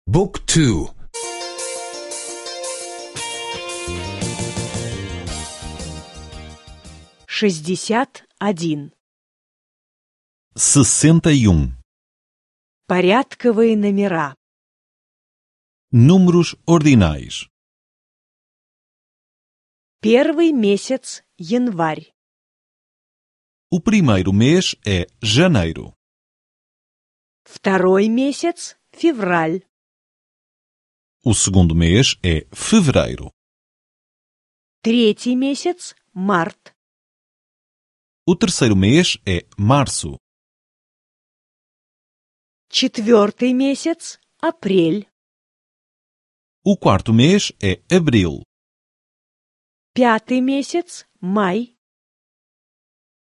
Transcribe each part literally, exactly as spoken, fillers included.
Book two. Шестьдесят один. Sessenta e um. Порядковые номера. Números ordinais. Первый месяц январь. O primeiro mês é janeiro. Второй месяц февраль. O segundo mês é fevereiro. Третий месяц март. O terceiro mês é março. Четвертый месяц апрель. O quarto mês é abril. Пятый месяц май.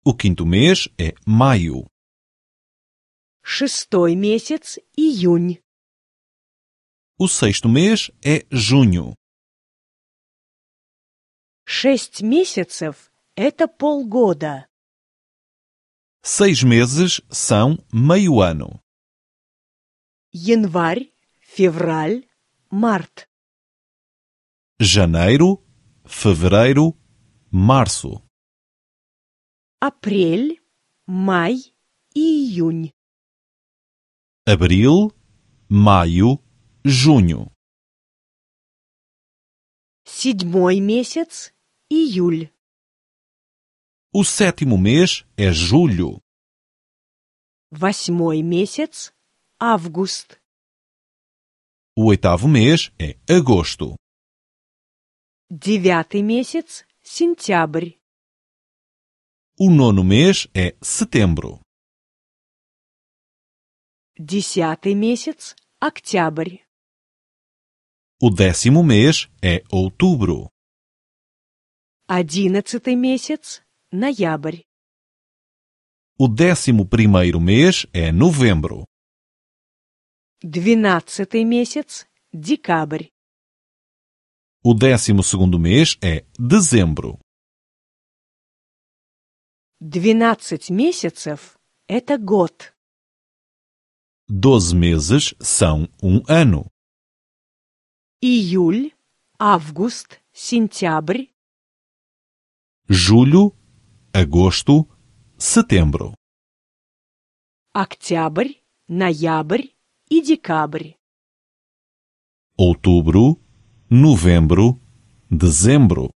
O quinto mês é maio. Шестой месяц июнь. O sexto mês é junho. Шесть месяцев – это полгода. Seis meses são meio ano. Январь, февраль, март. Janeiro, fevereiro, março. Апрель, май и июнь. Abril, maio, junho. Седьмой месяц – июль. O sétimo mês é julho. Восьмой месяц – август. O oitavo mês é agosto. Девятый месяц – сентябрь. O nono mês é setembro. Десятый месяц – октябрь. O décimo mês é outubro. Одиннадцатый месяц – ноябрь. O décimo primeiro mês é novembro. Двенадцатый месяц – декабрь. O décimo segundo mês é dezembro. Двенадцать месяцев – это год. Doze meses são um ano. Июль, август, сентябрь. Julho, agosto, setembro. Октябрь, ноябрь и декабрь. Outubro, novembro, dezembro.